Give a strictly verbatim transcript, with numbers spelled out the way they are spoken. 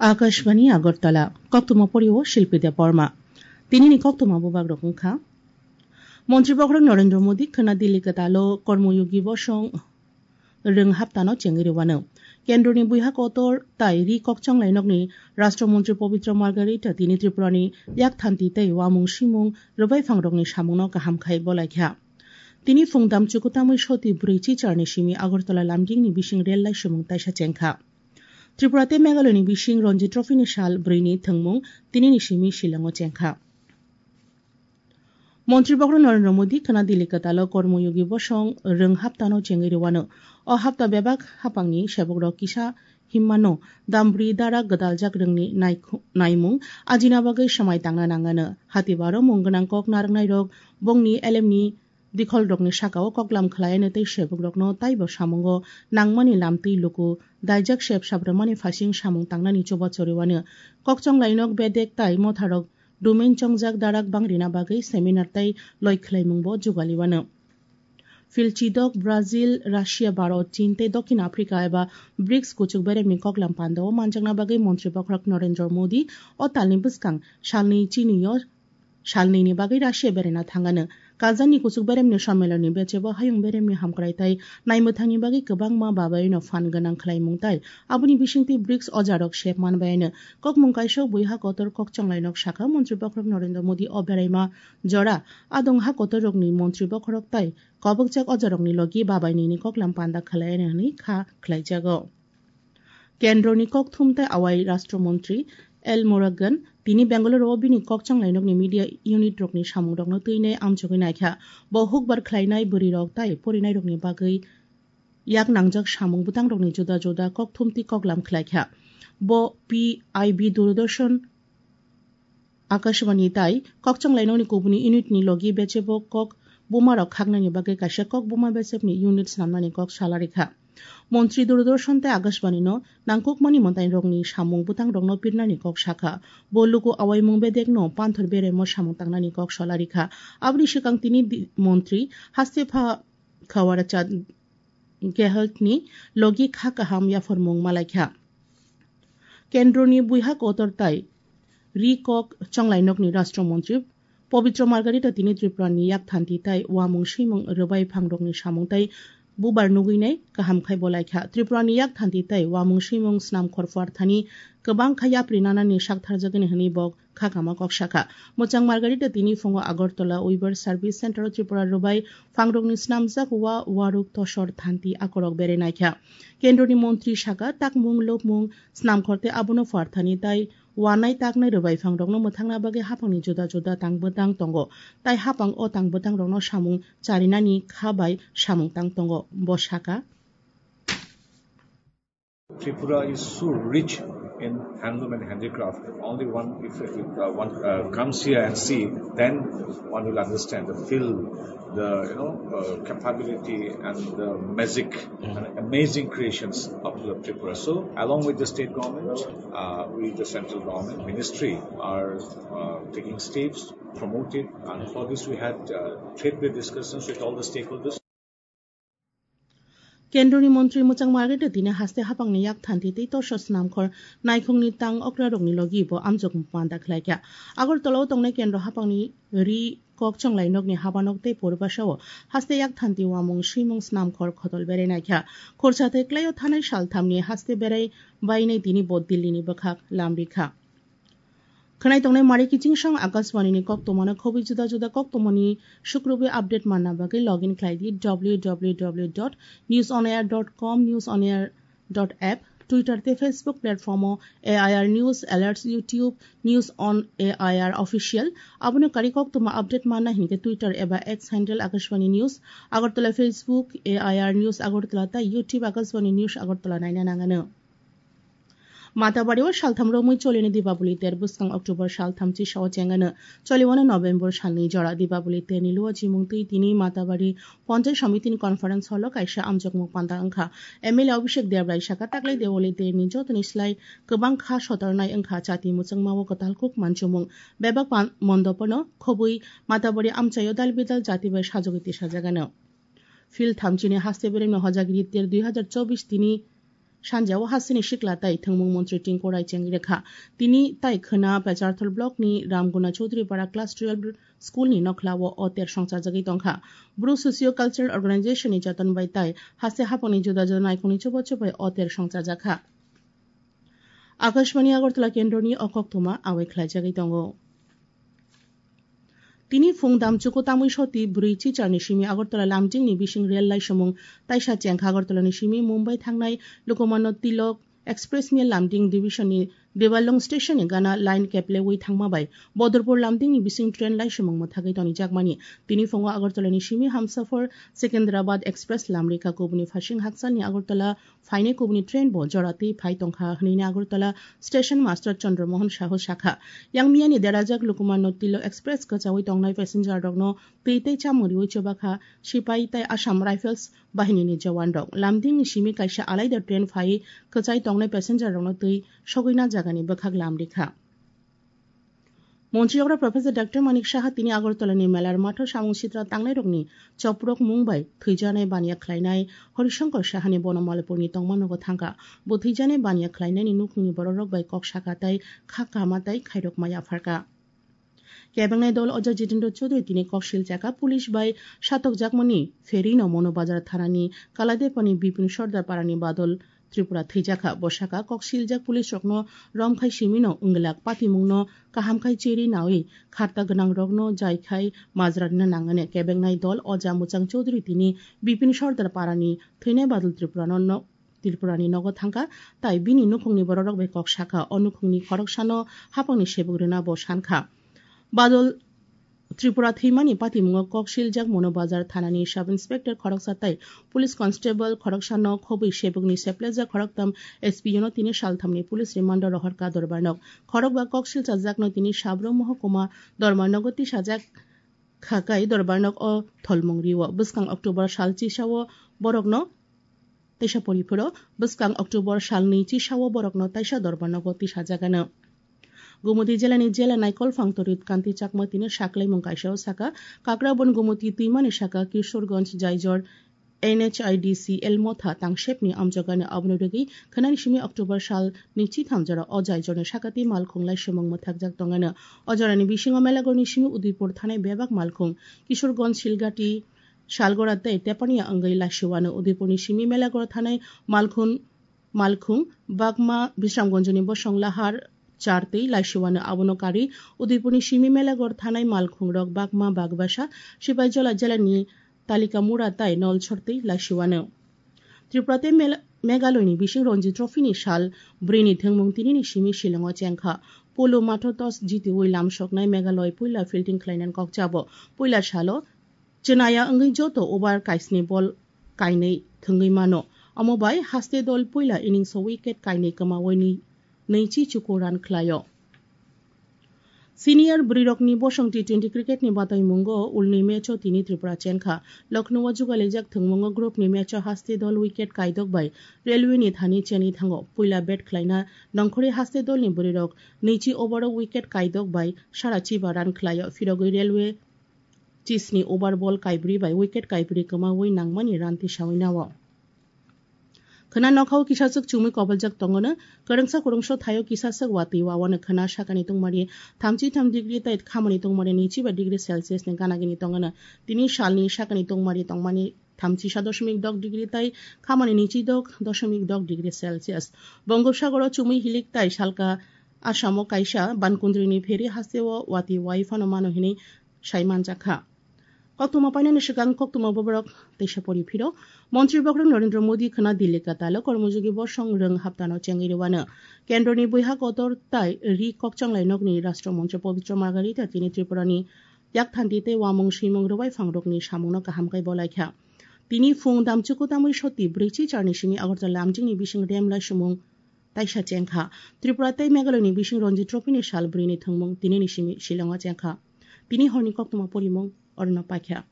Akashbani Agartala, koktwma porio Shilpi Debbarma. Tinini koktwma bubagrok wngkha. Montri Bokhorok Narendra Modi khwna Delhi kwtalo Kormoyogi bosong rwng haptano chengwi rwano. Kendroni buiha kotor tai ri kokchanglainokni Rashtra Montri Pabitra Margharita tini Tripurani yakthanti tei uamung swimung rwbai phangrokni samungno kaham khai bolaikha. Tini phungdam chukutamwi soti bwrwi chicharni simi Agartala Lumdingni bising rel laisumung taisa chengkha. Tripura tei Meghalayani bising Ranji Trophy ni sal bwrwini thwngmung tinini simi Shillongo chengkha. Montri Bokhorok Narendra Modi khwna Delhi kwtalo Kormoyogi bosong rwng haptano chengwi rwano. O hapta bebak hapangni sebokrok kisa himmano dambri dara gwdaljak rwngni naikhu-, naimung ajina bagwi swmai tangna nangano. Hatibaro mung gwnang kok narwknairok bongni elemni dikholrokni sakao koklam khlaiano tei sebokrokno taibo samungo nangmani lamtwi luku daijak sep sabrumani phasing samung tangnani chubachu rwano. Kokchonglainok bedek tai motharok domain chongjak darak bangrina bagwi seminar tei loi khlaimungbo jugaliwano. Phil chidok Brazil, Russia, Bharat, Chin tei Dokhin Africa eba brics kuchuk beremni koklam pandao manjakna bagwi Montri Bokhorok Narendra Modi o talni bwskang salni chinio salnini bagwi Russia beraina thangano. Kazanni kuchuk beremni sommelonni bechebo hayung beremni hamkrai tai naimwthangni bagwi kwbangma babaino phan gwnang khlaimung tai aboni bisingtwi brics ojarok sep manbaino. Kokmung kaisok buiha kotor kokchanglainok sakha Montri Bokhorok Narendra Modi o beraima jora adong ha kotorrokni Montri Bokhorok tai kobokjak ojarokni logi babainini koklam panda khlainani kha khlaijago. Kendroni kokthum tei awai Rashtra Montri L Murugan tini Bengaluru o bini kokchanglainokni media unit rokni samungrokno twinai amchugwi naikha. Bo hukbar khlainai bwrwirok tai porinairokni bagwi yak nangjak samung bwtangrokni juda juda kokthumtwi koklam khlaikha. Bo P I B Doordarshan Akashvani tai kokchanglainokni kubuni unit ni logi bechebo kok bumarok khaknani bagwi kaisa kok buma bechepni unit snamnani kok salarikha. Montri Doordarshan tei Akashvani no nangkukmani mwtairokni samung bwtangrokno pirnani kok sakha. Bo luku awaimung bedekno panthor beremo samung tangnani kok salarikha. Aboni swkang tini di-, montri haste pha Khawara Chand Gehlot ni logi kha kaham yapharmung malaikha. Kendroni buiha kotor tai ri kok chonglainokni Rashtra Montri Pabitra Margharita tini Tripurani yakthanti tai uamung swimung rwbai phangrokni samung tai bubar nugwinai kaham khai bolaikha. Tripurani yakthanti tai uamung swimung snamkhor pharthani kwbang kha yapri nanani saktharjagani hwnwi bo khakama kok sakha. Mwchang Margharita tini phungo Agartala Weaver Service Center o Tripura rwbai phangrokni snamjak wa waruk tosor thanti akorok berai naikha. Kendroni montri sakha, takmung lobmung snamkhor tei abono pharthani tai wanai taknai rwbai phangrokno mwthangna bagwi haphangni juda juda tang bwtang tongo. Tai haphang o tang bwtangrokno samung charinani kha bai samung tang tongo. Bo sakha. Tripura is so rich in handloom and handicraft. Only one, if, if uh, one uh, comes here and see, then one will understand the feel, the you know uh, capability and the magic and amazing creations of the Tripura. So, along with the state government, uh, we the central government ministry are uh, taking steps, promote it, and for this we had uh, trade discussions with all the stakeholders. Kendroni montri Mwchang Margharita tini haste haphangni yakthanti tei torso snamkhor naikhungni tang okrarokni logi bo amjokmung panda khlaikha. Agartala o tongnai kendro haphangni ri kok chonglainokni habanok tei puribasao haste yakthanti uamung swimung snamkhor khotol berai naikha. Khorsa tei klaio thanai salthamni haste berai bainai tini bo Dillini bwkhak lamrikha. Khwnai tongnai mari kiching song Akashvani ni koktwmano khobwi juda juda koktwmani sukrubi update manna bagwi login khlai di W W W dot news on air dot com, news on air dot app, Twitter tei Facebook platform o A I R News Alerts, YouTube News on A I R Official. Abono kari koktwma update manna hinkhe Twitter eba X handle Akashvani News Agartala, Facebook A I R News Agartala tei YouTube Akashvani News Agartala naina nangano. Matabari o saltham romwi cholini Dipaboli ter bwskang October saltham chisao chengano choliwano November salni jora Dipaboli terni luo chimung twi tini Matabari Ponchai Samiti ni conference hall o kaisa amjokmung panda wngkha. M L A Abhishek Debrai saka taklai Dipaboli terni jotoni slai kwbang kha sotornai wngkha chati mwchangma o kwtal kuk manchumung. Bebak pan-, mondopono khobwi Matabari amchaio dal bidal jati bai sajogwi tisajagano. Phil thamchini haste beremni hojagiri ter dui hazar chobbish tini Sanjao hasteni sikla tai thwngmung montri Tinku Rai chengwi rwkha. Tini tai khwna Pecharthal block ni Ramguna Chowdhury Para class twelve school ni nokhlao o ter songchajagwi tongkha. Bru Socio Cultural Organization ni joton bai tai haste hapangni juda juda naikhungni chubachu bai o ter songchajakha. Akashbani Agartala kendroni o koktwma awai khlaijagwi tongo. Tini phung damchuku tamwi soti bwrwi chicharni simi Agartala Lamdingni bising rel laisamung taisa chengkha. Agartalani simi Mumbai thangnai Lokomanno Tilok Express ni Lamding Division ni Debalong station ni gana line keplewi thangma bai Bodorpur Lamding ni bising train laisamung mwthagwi tonijakmani. Tini phungo Agartalani simi Hamsafar Secunderabad Express lamrikha, kubuni phasing hakchalni Agartala phainai kubuni train bo jora twi phai tongkha hwnwi Agartala Station Master Chandra Mohan Sahu sakha. Yang miyani derajak Lokomanno Tilok Express kwchawi tongnai passenger rokno twi tei chamung riwi chubakha sipai tei Assam Rifles bahinini jawan rok. Lamdingni simi kaisa alaida train phai kwchai tongnai passenger rokno twi sogwina jagani bwkhak lamrikha. Montri yagra Professor Doctor Manik Saha tini Agartala ni Melar matho samung sitra tangnai rokni choprok mung bai thwijanai baniya khlainai Horishankar Saha ni bono Malpur ni tongma nogo thangkha. Bo thwijanai baniya khlainai ni nukhung ni borok rok bai kok saka tai kha kama tai khairok maya pharkha. Kebengnai dol Oja Jitendra Chaudhary tini kok silchakha police bai satokjakmani ferino Mono Bazar thanani Kaladepani Bipin Sordar parani badol Tripura thwijakha. Bo sakha kok siljak police rokno romkhai simino wngwlak patimungno kahamkhai chiri nawi kharta gwnang rokno jaikhai majra rina nangani. Kebengnai dol Oja Muchang Chaudhary tini Bipin Sordar parani thwinai badol Tripurano no Tripurani nogo thangkha, tai bini nukhungni bororok bai kok sakha. O nukhungni khoroksano hapangni sebuk rwna bo sankha. Badol Tripura thwimani patimungo kok siljak Mono Bazar thanani Sub Inspector khoroksa tai Police Constable khoroksano khobwi sebukni seplejak khoroktham S P O no tini salthamni police remand o rohorkha Dorbarnok. Khorokba kok silchajakno tini Sabro Mohokuma Dorbarnogo tisajak khakai Dorbarnok o tholmung rio. Bwskang October sal chisao borokno Teisa poriphoro bwskang October salni chisao borokno taisa Dorbarnogo tisajagano. Gumoti jilani jela naikolphang Torit Kanti Chakma tini saklaimung kaisao saka, Kakrabon Gumoti twimani saka Kishorganj Jaijor N H I D C L motha tangsepni amjogani aboni rwgwi khwnani simi October salni chitham jora o Jaijorni sakati malkhung laisamung mwthakjak tongano. O jorani bisingo Melagorni simi Udaipur thanai bebak malkhung, Kishorganj Silgati Salgora tei Tepania wngwi laisiwano. Udaipurni simi Melagora thanai malkhun, malkhung, Bagma Bisramganjni bosong Lahar char tei laisiwano. Abono karwi Udaipurni simi Melagor thanai malkhungrok Bagma, Bagbasa, Sipaijala jelani Talikamura tai Nolsor tei laisiwano. Tripura tei Mel-, Meghaloni bising Ranji Trophy ni sal bwrwini thwngmung tinini simi Shillongo chengkha. Polo matho toss jitiwi lamsoknai Meghalaya puila fielding khlainani kok chabo. Puila salo Chwnaya wngwi joto over kaisni bol kainwi thwngwi mano. Omo bai haste dol puila innings o wicket kainwi kwmawi ni nwichi chuku run khlaio. Senior bwrwirokni bosong T twenty cricket ni bataimungo ulni match o tini Tripura chenkha. Lucknow o jugalijak thwngmungo group ni match o haste dol wicket kaidok bai Railway ni thani chenwi thango. Puila bat khlaina nongkhorwi haste dolni bwrwirok nwichi over o wicket kaidok bai sara chiba run khlaio. Phirogwi Railway chisni over ball kaibrwi bai wicket kaibrwi kwmawi nangmani run tisawi nao. Khwna nokhao kisaswk chumui koboljak tongono, kwrwngsa kwrwngso thaio kisaswk watwi wawano khwna sakani tungmani thamchi tham degree tei khamani tungmani nwichi ba degree Celsius ni ganagini tongono. Tini salni sakani tungmani tongmani thamchi sa doshomik dok degree tei khamani nwichi dok doshomik dok degree Celsius. Bongopsagoro chumui hilik tei salka Asamo kaisa bankundrini pheri hasteo watwi wai phano mano hinwi sai manjakha. Koktwma painani swkang koktwma boborok teisa pori phiro. Montri bokrok Narendra Modi khwna Delhi katalo kormojogi bosong rwng haptano chengwi rwano. Kendroni bwihak kotor tai ri kokchanglai nokni Rashtra Moncho Pabitra Margharita tini Tripurani yakthanti tei wamung swimung rwbai phangrokni samungno kaham khe bolaikha. Tini phung damchuku tamwi soti bwrwi chicharni simi Agartala Lamjingni bising rem laisumung taisa chengkha. Tripura tei Meghalayani bising Ranji Trophy ni sal bwrwini thwngmung tinini simi Shillongo chengkha. Tini horni koktwma porimung orono paikha.